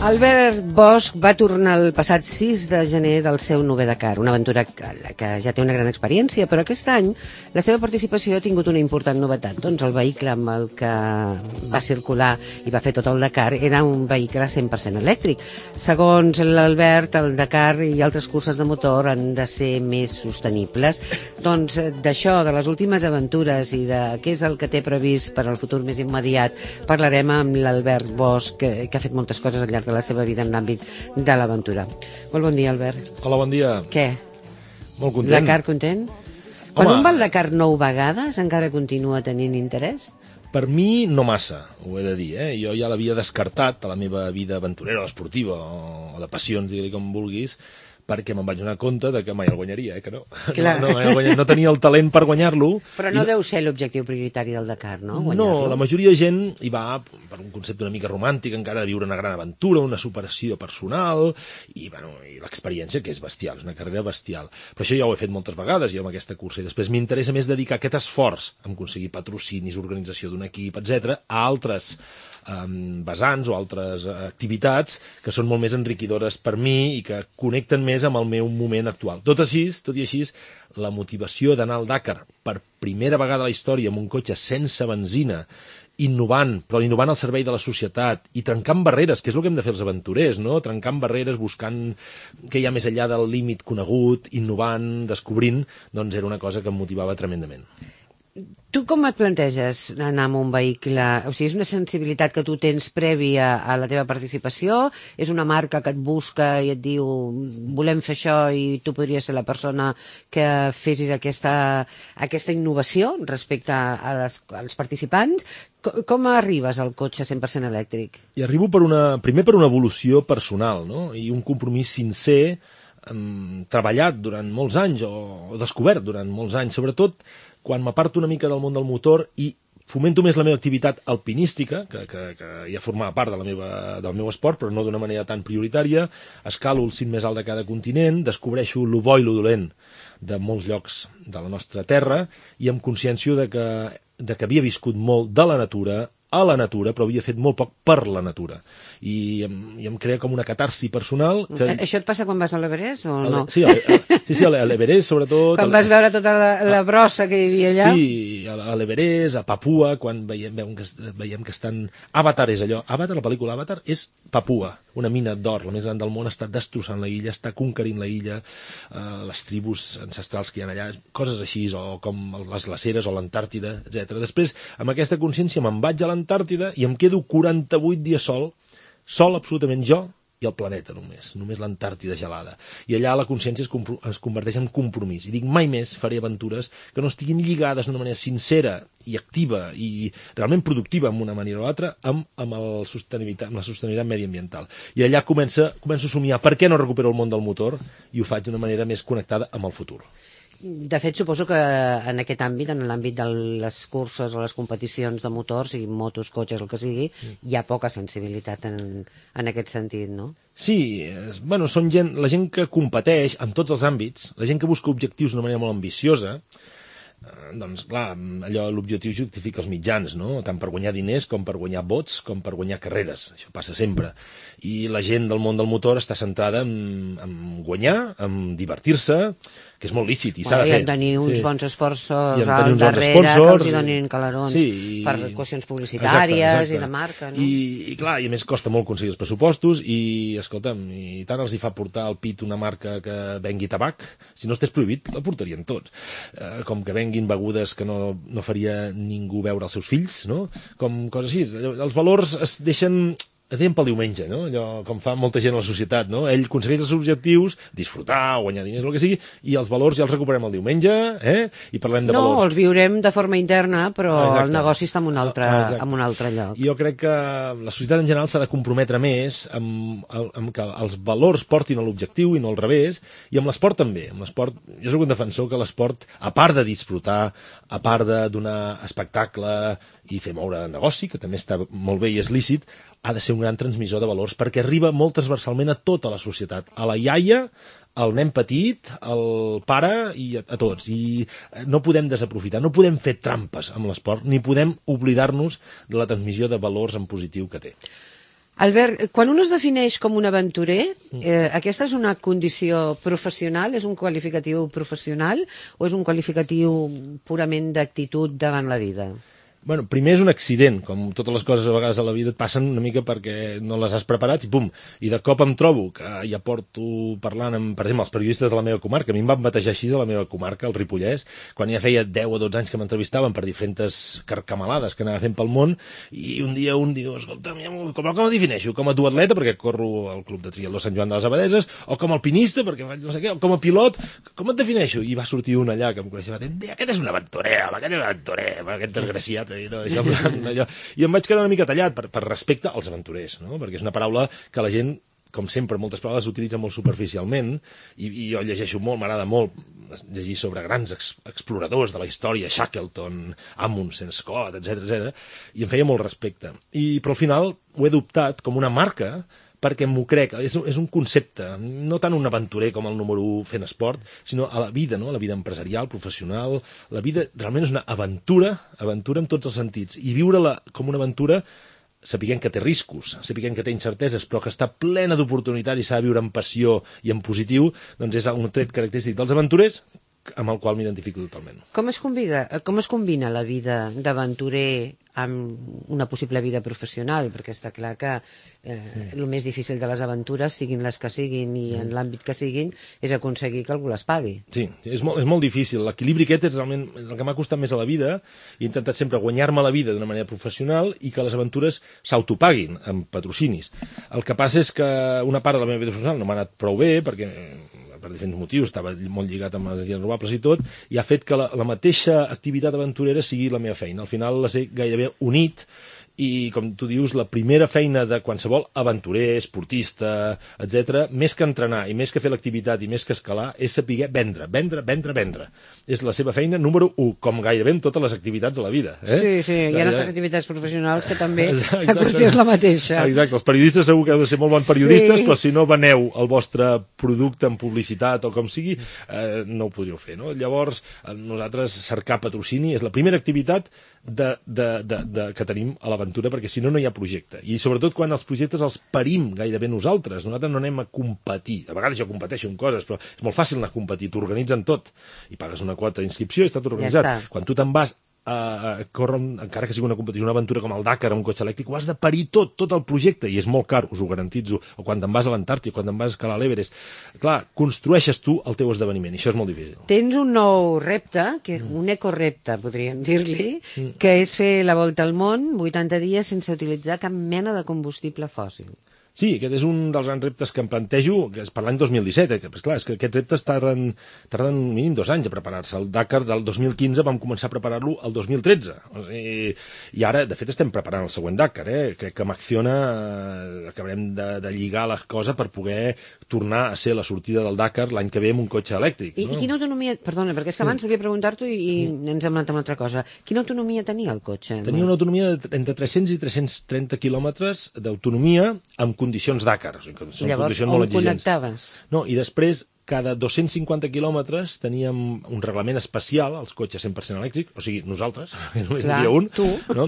Albert Bosch va tornar el passat 6 de gener del seu 9è Dakar, una aventura que ja té una gran experiència, però aquest any la seva participació ha tingut una important novetat. Doncs el vehicle amb el que va circular i va fer tot el Dakar era un vehicle 100% elèctric. Segons l'Albert, el Dakar i altres curses de motor han de ser més sostenibles. Doncs d'això, de les últimes aventures i de què és el que té previst per al futur més immediat, parlarem amb l'Albert Bosch, que ha fet moltes coses al llarg de la seva vida en l'àmbit de l'aventura. Molt bon dia, Albert. Hola, bon dia. Què? Molt content. Dakar content? Quan un va al Dakar 9 vegades encara continua tenint interès? Per mi no massa, ho he de dir. Jo ja l'havia descartat a la meva vida aventurera o esportiva o de passions, digue-li com vulguis, perquè me'n vaig donar compte de que mai el guanyaria, que no. No tenia el talent per guanyar-lo. Però no deu ser l'objectiu prioritari del Dakar, no? No, la majoria de gent hi va per un concepte una mica romàntic, encara de viure una gran aventura, una superació personal, i l'experiència, que és bestial, és una carrera bestial. Però això ja ho he fet moltes vegades, jo amb aquesta cursa, i després m'interessa més dedicar aquest esforç en aconseguir patrocinis, organització d'un equip, etc., a altres vessants o altres activitats que són molt més enriquidores per mi i que connecten més amb el meu moment actual. Tot i així, la motivació d'anar al Dakar per primera vegada a la història amb un cotxe sense benzina, innovant al servei de la societat i trencant barreres, que és el que hem de fer els aventurers, no? Trencant barreres, buscant què hi ha més enllà del límit conegut, innovant, descobrint, doncs era una cosa que em motivava tremendament. Tu com et planteges anar amb un vehicle? O sigui, és una sensibilitat que tu tens prèvia a la teva participació? És una marca que et busca i et diu volem fer això i tu podries ser la persona que fessis aquesta innovació respecte als participants? Com arribes al cotxe 100% elèctric? I arribo primer per una evolució personal, no? I un compromís sincer, treballat durant molts anys o descobert durant molts anys, sobretot quan m'aparto una mica del món del motor i fomento més la meva activitat alpinística, que ja formava part del meu esport, però no d'una manera tan prioritària, escalo el cim més alt de cada continent, descobreixo lo bo i lo dolent de molts llocs de la nostra terra i amb consciència de que havia viscut molt de la natura, a la natura, però havia fet molt poc per la natura. I em crea com una catarsi personal. Això et passa quan vas a l'Everest o no? Sí, a l'Everest, sobretot. Quan vas veure tota la brossa que hi havia allà? Sí, a l'Everest, a Papua, quan veiem que estan... Avatar és allò. Avatar, la pel·lícula Avatar, és Papua, una mina d'or, la més gran del món, està destrossant la illa, està conquerint la illa, les tribus ancestrals que hi ha allà, coses així, o com les glaceres o l'Antàrtida, etc. Després, amb aquesta consciència, me'n vaig a l'Antàrtida i em quedo 48 dies sol absolutament jo i el planeta només l'Antàrtida gelada. I allà la consciència es converteix en compromís. I dic, mai més faré aventures que no estiguin lligades d'una manera sincera i activa i realment productiva en una manera o altra amb la sostenibilitat mediambiental. I allà començo a somiar per què no recupero el món del motor i ho faig d'una manera més connectada amb el futur. De fet, suposo que en aquest àmbit, en l'àmbit de les curses o les competicions de motors, sigui motos, cotxes, el que sigui, hi ha poca sensibilitat en aquest sentit, no? Sí, són la gent que competeix en tots els àmbits, la gent que busca objectius d'una manera molt ambiciosa, doncs clar, l'objectiu justifica els mitjans, no? Tant per guanyar diners com per guanyar vots com per guanyar carreres, això passa sempre. I la gent del món del motor està centrada en guanyar, en divertir-se, que és molt lícit i s'ha de fer. I en tenir uns bons sponsors al darrere que els hi donin calarons per qüestions publicitàries i de marca, no? I clar, i a més costa molt aconseguir els pressupostos i, escolta'm, i tant els hi fa portar al pit una marca que vengui tabac, si no estés prohibit, la portarien tots. Com que venguin begudes que no faria ningú beure als seus fills, no? Com coses així. Els valors es deixen pel diumenge, no? Allò com fa molta gent a la societat, no? Ell aconsegueix els objectius, disfrutar, guanyar diners, el que sigui, i els valors ja els recuperem el diumenge, i parlem de valors. No, els viurem de forma interna, però el negoci està en un altre lloc. Jo crec que la societat en general s'ha de comprometre més amb que els valors portin a l'objectiu i no al revés, i amb l'esport també. Amb l'esport, jo soc un defensor que l'esport, a part de disfrutar, a part de donar espectacle i fer moure negoci, que també està molt bé i és lícit, ha de ser un gran transmissor de valors, perquè arriba molt transversalment a tota la societat, a la iaia, al nen petit, al pare i a tots. I no podem desaprofitar, no podem fer trampes amb l'esport, ni podem oblidar-nos de la transmissió de valors en positiu que té. Albert, quan un es defineix com un aventurer, aquesta és una condició professional, és un qualificatiu professional o és un qualificatiu purament d'actitud davant la vida? Bueno, primer és un accident, com totes les coses a vegades a la vida et passen una mica perquè no les has preparat i pum, i de cop em trobo que ja porto parlant amb, per exemple, els periodistes de la meva comarca, a mi em van batejar així a la meva comarca, el Ripollès, quan ja feia 10 o 12 anys que m'entrevistaven per diferents carcamalades que anava fent pel món, i un dia un diu, escolta, com em defineixo? Com a duatleta, perquè corro al Club de Triatló Sant Joan de les Abadeses, o com a alpinista, perquè faig no sé què, o com a pilot, com et defineixo? I va sortir un allà que em coneixia, aquest és un aventurer, aquest desgraciat, no, allò. I em vaig quedar una mica tallat per respecte als aventurers, no? Perquè és una paraula que la gent, com sempre, moltes paraules s'utilitza molt superficialment i jo llegeixo molt, m'agrada molt llegir sobre grans exploradors de la història, Shackleton, Amundsen, Scott, etc, i em feia molt respecte. Però al final ho he adoptat com una marca perquè m'ho crec, és un concepte, no tant un aventurer com el número 1 fent esport, sinó a la vida, no? A la vida empresarial, professional, la vida realment és una aventura en tots els sentits, i viure-la com una aventura sapiguem que té riscos, sapiguem que té incerteses, però que està plena d'oportunitats i s'ha de viure amb passió i en positiu, doncs és un tret característic dels aventurers amb el qual m'identifico totalment. Com es combina la vida d'aventurer amb una possible vida professional? Perquè està clar que el més difícil de les aventures, siguin les que siguin i en l'àmbit que siguin, és aconseguir que algú les pagui. Sí, és molt difícil. L'equilibri aquest és realment el que m'ha costat més a la vida. He intentat sempre guanyar-me la vida d'una manera professional i que les aventures s'autopaguin amb patrocinis. El que passa és que una part de la meva vida professional no m'ha anat prou bé, perquè per diferents motius, estava molt lligat amb les energies renovables i tot, i ha fet que la mateixa activitat aventurera sigui la meva feina. Al final les he gairebé unit, i, com tu dius, la primera feina de qualsevol aventurer, esportista, etc., més que entrenar i més que fer l'activitat i més que escalar, és saber vendre. És la seva feina número 1, com gairebé en totes les activitats de la vida. Sí, hi ha altres activitats professionals que també la qüestió és la mateixa. Exacte, els periodistes segur que heu de ser molt bons periodistes, però si no veneu el vostre producte en publicitat o com sigui, no ho podríeu fer, no? Llavors, nosaltres cercar patrocini és la primera activitat que tenim a l'aventura, perquè si no, no hi ha projecte. I sobretot quan els projectes els parim gairebé nosaltres. Nosaltres no anem a competir. A vegades jo competeixo en coses, però és molt fàcil anar a competir. T'organitzen tot. I pagues una quota d'inscripció i està tot organitzat. Ja està. Quan tu te'n vas a córrer, encara que sigui una competició, una aventura com el Dakar, un cotxe elèctric, ho has de parir tot el projecte, i és molt car, us ho garantitzo. O quan te'n vas a l'Antàrtida, quan te'n vas a escalar l'Everest. Clar, construeixes tu el teu esdeveniment, i això és molt difícil. Tens un nou repte, un ecorepte, podríem dir-li, que és fer la volta al món 80 dies sense utilitzar cap mena de combustible fòssil. Sí, aquest és un dels grans reptes que em plantejo, que és per l'any 2017, que clar, és que aquests reptes tarden mínim 2 anys a preparar-se. El Dakar del 2015 vam començar a preparar-lo el 2013. I ara, de fet, estem preparant el següent Dakar. Crec que amb Acciona acabarem de lligar la cosa per poder tornar a ser la sortida del Dakar l'any que ve amb un cotxe elèctric. I quina autonomia... Perdona, perquè és que abans volia preguntar-t'ho i ens hem anat amb una altra cosa. Quina autonomia tenia el cotxe? Tenia una autonomia entre 300 i 330 quilòmetres d'autonomia amb condicions Dakar. O sigui, són llavors, condicions molt exigents. Connectaves? No, i després, cada 250 quilòmetres teníem un reglament especial, els cotxes 100% elèctrics, o sigui, nosaltres, només hi havia un, tu. No?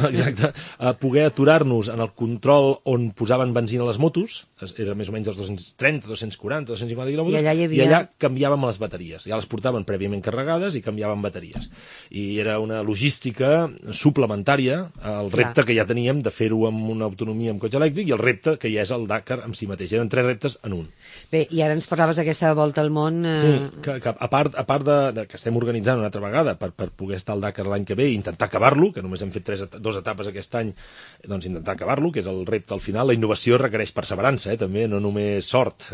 Exacte, a poder aturar-nos en el control on posaven benzina a les motos, era més o menys els 230, 240, 250 quilòmetres, i allà canviàvem les bateries. Ja les portaven prèviament carregades i canviàvem bateries. I era una logística suplementària al repte que ja teníem de fer-ho amb una autonomia amb cotxe elèctric i el repte que ja és el Dakar en si mateix. Eren 3 reptes en un. Bé, i ara ens parlaves d'aquesta volta al món... Sí, que a part de que estem organitzant una altra vegada per poder estar al Dakar l'any que ve i intentar acabar-lo, que només hem fet 2 etapes aquest any, doncs intentar acabar-lo, que és el repte al final. La innovació requereix perseverança, també, no només sort.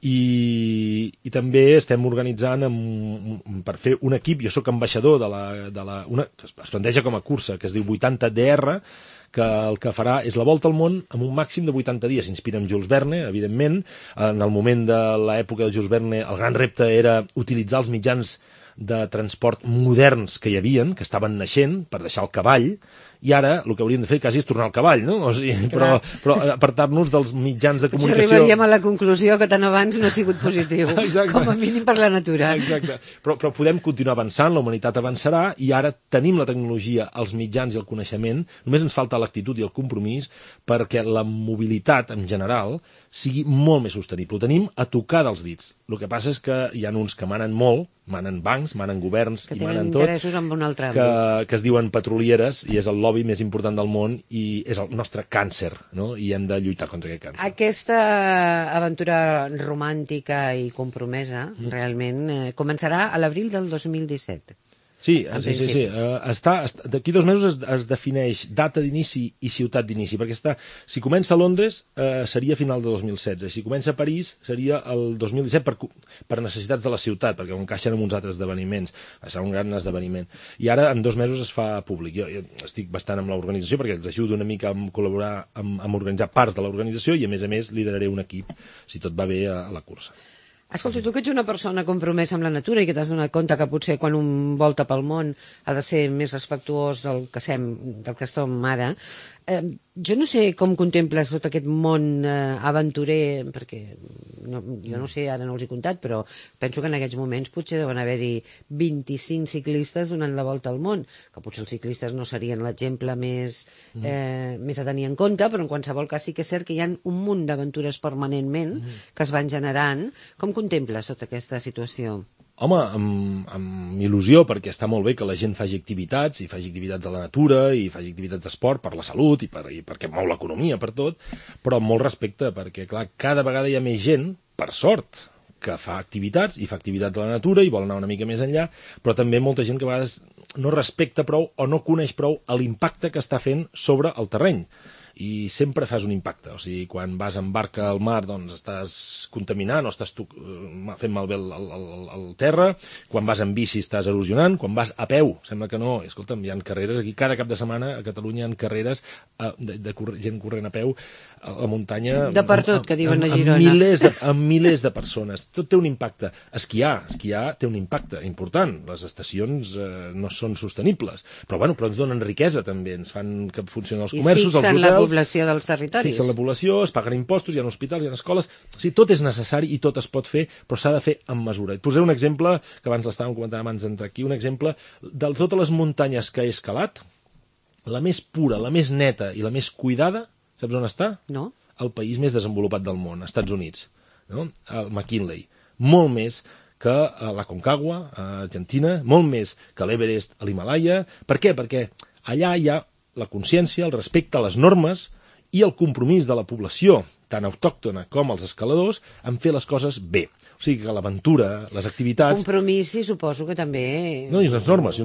I també estem organitzant per fer un equip, jo sóc ambaixador que es planteja com a cursa, que es diu 80 DR, que el que farà és la volta al món amb un màxim de 80 dies. S'inspira en Jules Verne, evidentment. En el moment de l'època de Jules Verne, el gran repte era utilitzar els mitjans de transport moderns que hi havien, que estaven naixent, per deixar el cavall, I ara el que hauríem de fer quasi és tornar al cavall, no? O sigui, però apartar-nos dels mitjans de comunicació. Arribaríem a la conclusió que tant abans no ha sigut positiu, com a mínim per la natura. Exacte. Però podem continuar avançant, la humanitat avançarà, i ara tenim la tecnologia, els mitjans i el coneixement, només ens falta l'actitud i el compromís perquè la mobilitat en general sigui molt més sostenible. Ho tenim a tocar dels dits. El que passa és que hi ha uns que manen molt, manen bancs, manen governs i manen tot, en un altre àmbit. que es diuen petrolieres, i és el lobby més important del món i és el nostre càncer, no? I hem de lluitar contra aquest càncer. Aquesta aventura romàntica i compromesa realment començarà a l'abril del 2017. Sí. D'aquí 2 mesos es defineix data d'inici i ciutat d'inici, perquè si comença a Londres seria a final de 2016, si comença a París seria el 2017 per necessitats de la ciutat, perquè ho encaixen amb uns altres esdeveniments. Serà un gran esdeveniment. I ara en 2 mesos es fa públic. Jo estic bastant amb l'organització perquè els ajudo una mica a col·laborar amb organitzar part de l'organització i a més lideraré un equip, si tot va bé, a la cursa. Escolta, tu que ets una persona compromesa amb la natura i que t'has donat compte que potser quan un volta pel món ha de ser més respectuós del que som ara, jo no sé com contemples tot aquest món aventurer, perquè jo no sé, ara no els he comptat, però penso que en aquests moments potser deuen haver-hi 25 ciclistes donant la volta al món, que potser els ciclistes no serien l'exemple més a tenir en compte, però en qualsevol cas sí que és cert que hi ha un munt d'aventures permanentment que es van generant. Com contemples tota aquesta situació? Home, amb il·lusió, perquè està molt bé que la gent faci activitats, i faci activitats de la natura, i faci activitats d'esport per la salut, i perquè mou l'economia, per tot, però amb molt respecte, perquè, clar, cada vegada hi ha més gent, per sort, que fa activitats, i fa activitats de la natura, i vol anar una mica més enllà, però també molta gent que a vegades no respecta prou o no coneix prou l'impacte que està fent sobre el terreny. I sempre fas un impacte, o sigui, quan vas en barca al mar doncs estàs contaminant o estàs fent malbé el terra, quan vas en bici estàs erosionant, quan vas a peu, sembla que no, escolta'm, hi ha carreres aquí, cada cap de setmana a Catalunya hi ha carreres de gent corrent a peu a la muntanya, de per tot, que diuen a Girona, amb milers de persones, tot té un impacte. Esquiar té un impacte important, les estacions no són sostenibles, però ens donen riquesa també, ens fan que funcionin els comerços, els hotels, la població dels territoris. Fixen la població, es paguen impostos, hi ha hospitals, hi ha escoles. O sigui, tot és necessari i tot es pot fer, però s'ha de fer amb mesura. Et posaré un exemple, que abans l'estàvem comentant abans d'entrar aquí, un exemple de totes les muntanyes que he escalat, la més pura, la més neta i la més cuidada, saps on està? No. El país més desenvolupat del món, als Estats Units, no? El McKinley. Molt més que la Concagua, a Argentina, molt més que l'Everest, a l'Himalaya. Per què? Perquè allà hi ha la consciència, el respecte a les normes i el compromís de la població, tant autòctona com els escaladors, en fer les coses bé. O sigui que l'aventura, les activitats... Compromís, sí, suposo que també... No, i unes normes.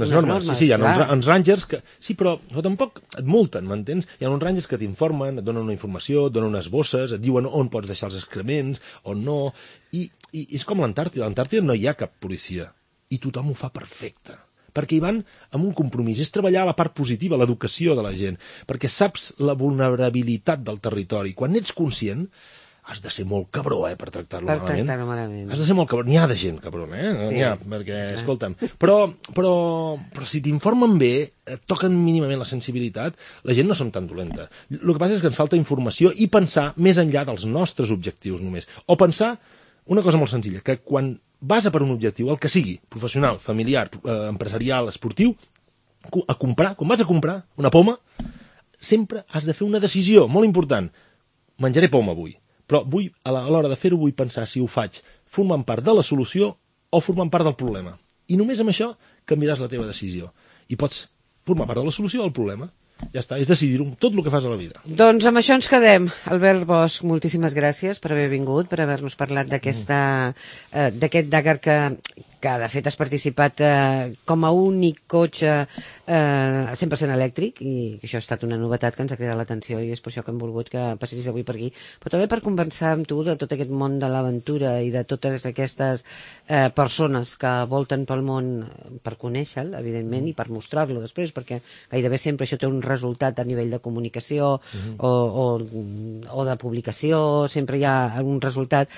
Sí, hi ha uns rangers que... Sí, però tampoc et multen, m'entens? Hi ha uns rangers que t'informen, et donen una informació, et donen unes bosses, et diuen on pots deixar els excrements, on no... I és com l'Antàrtida. A l'Antàrtida no hi ha cap policia. I tothom ho fa perfecte. Perquè hi van amb un compromís, és treballar la part positiva, l'educació de la gent, perquè saps la vulnerabilitat del territori. Quan ets conscient, has de ser molt cabró, per tractar-lo malament. Per tractar-lo malament. Has de ser molt cabró. N'hi ha de gent cabrona, Sí. N'hi ha, perquè, escolta'm, però si t'informen bé, et toquen mínimament la sensibilitat, la gent no són tan dolenta. El que passa és que ens falta informació i pensar més enllà dels nostres objectius només. O pensar una cosa molt senzilla, que quan vas a per un objectiu, el que sigui, professional, familiar, empresarial, esportiu, quan vas a comprar una poma, sempre has de fer una decisió molt important. Menjaré poma avui, però a l'hora de fer-ho vull pensar si ho faig formant part de la solució o formant part del problema. I només amb això canviaràs la teva decisió. I pots formar part de la solució o del problema. Ja està, és decidir-ho, tot el que fas a la vida. Doncs amb això ens quedem. Albert Bosch, moltíssimes gràcies per haver vingut, per haver-nos parlat d'aquest Dakar que de fet has participat com a únic cotxe 100% elèctric, i això ha estat una novetat que ens ha cridat l'atenció i és per això que hem volgut que passessis avui per aquí, però també per conversar amb tu de tot aquest món de l'aventura i de totes aquestes persones que volten pel món per conèixer-lo, evidentment, i per mostrar-lo després, perquè gairebé sempre això té un resultat a nivell de comunicació o de publicació, sempre hi ha algun resultat,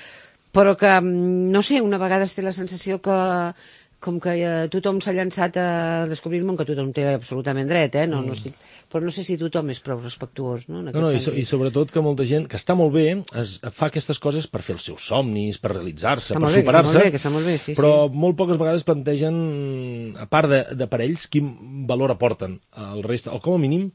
però que, no sé, una vegada es té la sensació que com que tothom s'ha llançat a descobrir el món, que tothom té absolutament dret, no estic... Però no sé si tothom és prou respectuós, no? I sobretot que molta gent, que està molt bé, fa aquestes coses per fer els seus somnis, per realitzar-se, per superar-se, però molt poques vegades plantegen, a part de per ells, quin valor aporten al reste, o com a mínim,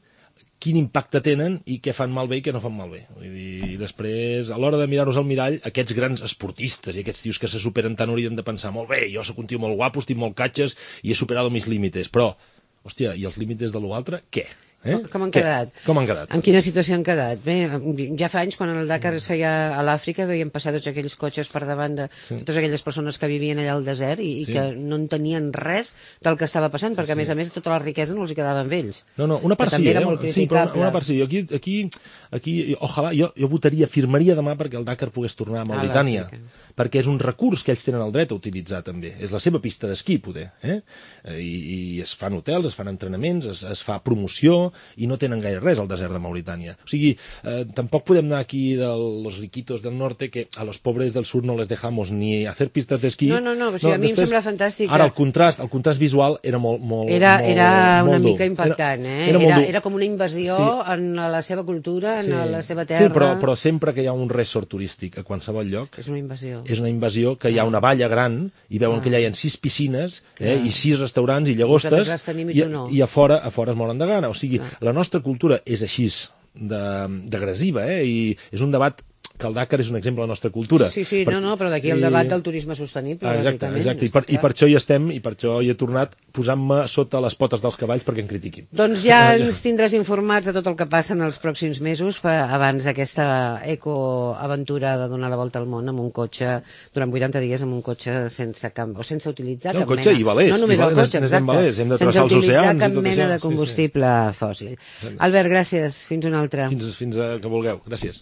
quin impacte tenen i què fan malbé i què no fan malbé. I després, a l'hora de mirar-nos al mirall, aquests grans esportistes i aquests tios que se superen tant haurien de pensar, molt bé, jo sóc un tio molt guapo, estic molt catxes i he superat mis límites, però, hòstia, i els límites de l'altre, què? Com han quedat? Com han quedat? En quina situació han quedat? Bé, ja fa anys, quan el Dakar es feia a l'Àfrica, veiem passar tots aquells cotxes per davant de totes aquelles persones que vivien allà al desert i que no entenien res del que estava passant, perquè a més tota la riquesa no els hi quedava amb ells. No, una part sí, però una part sí. Aquí, ojalà, jo votaria, firmaria demà perquè el Dakar pogués tornar a Mauritània, perquè és un recurs que ells tenen el dret a utilitzar també. És la seva pista d'esquí, poder. I es fan hotels, es fan entrenaments, es fa promoció, i no tenen gaire res al desert de Mauritània. O sigui, tampoc podem anar aquí de los riquitos del norte que a los pobres del sur no les dejamos ni hacer pistas d'esquí. No, o sigui, a mi em sembla fantàstic. Ara, el contrast visual era molt Era una mica impactant, Era com una invasió en la seva cultura, en la seva terra. Sí, però sempre que hi ha un resort turístic a qualsevol lloc... És una invasió. És una invasió que hi ha una valla gran i veuen que allà hi ha 6 piscines i 6 restaurants i llagostes i a fora es moren de gana. O sigui, la nostra cultura és així d'agressiva, i és un debat que el Dakar és un exemple de la nostra cultura. Sí, però d'aquí el debat del turisme sostenible, bàsicament. Exacte, i per això hi estem, i per això hi he tornat posant-me sota les potes dels cavalls perquè em critiquin. Doncs ja ens tindràs informats de tot el que passa en els pròxims mesos, abans d'aquesta ecoaventura de donar la volta al món amb un cotxe, durant 80 dies amb un cotxe sense utilitzar cap mena... Un cotxe i valers. No només el cotxe, exacte. Hem de travessar els oceans. Sense utilitzar cap mena de combustible fòssil. Albert, gràcies. Fins una altra. Fins que vulgueu. Gràcies.